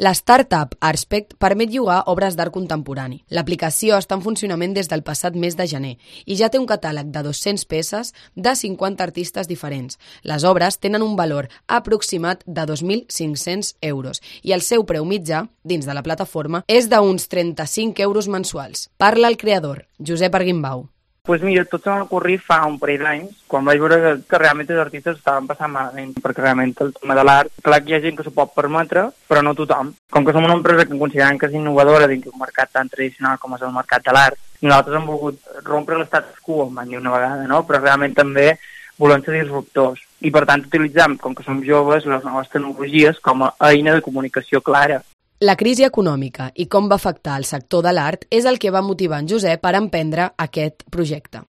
La startup Artspect permet llogar obres d'art contemporani. L'aplicació està en funcionament des del passat mes de gener i ja té un catàleg de 200 peces de 50 artistes diferents. Les obres tenen un valor aproximat de 2.500 euros i el seu preu mitjà, dins de la plataforma, és d'uns 35 euros mensuals. Parla el creador, Josep Arguimbau. Doncs mira, tot se m'ha ocorrit fa un parell d'anys, quan vaig veure que realment els artistes estaven passant malament, perquè realment el tema de l'art, clar que hi ha gent que s'ho pot permetre, però no tothom. Com que som una empresa que considerem que és innovadora dins d'un mercat tan tradicional com és el mercat de l'art, nosaltres hem volgut rompre l'estatus quo, em van dir una vegada, no? Però realment també volem ser disruptors. I per tant utilitzem, com que som joves, les noves tecnologies com a eina de comunicació clara. La crisi econòmica i com va afectar el sector de l'art és el que va motivar en Josep per emprendre aquest projecte.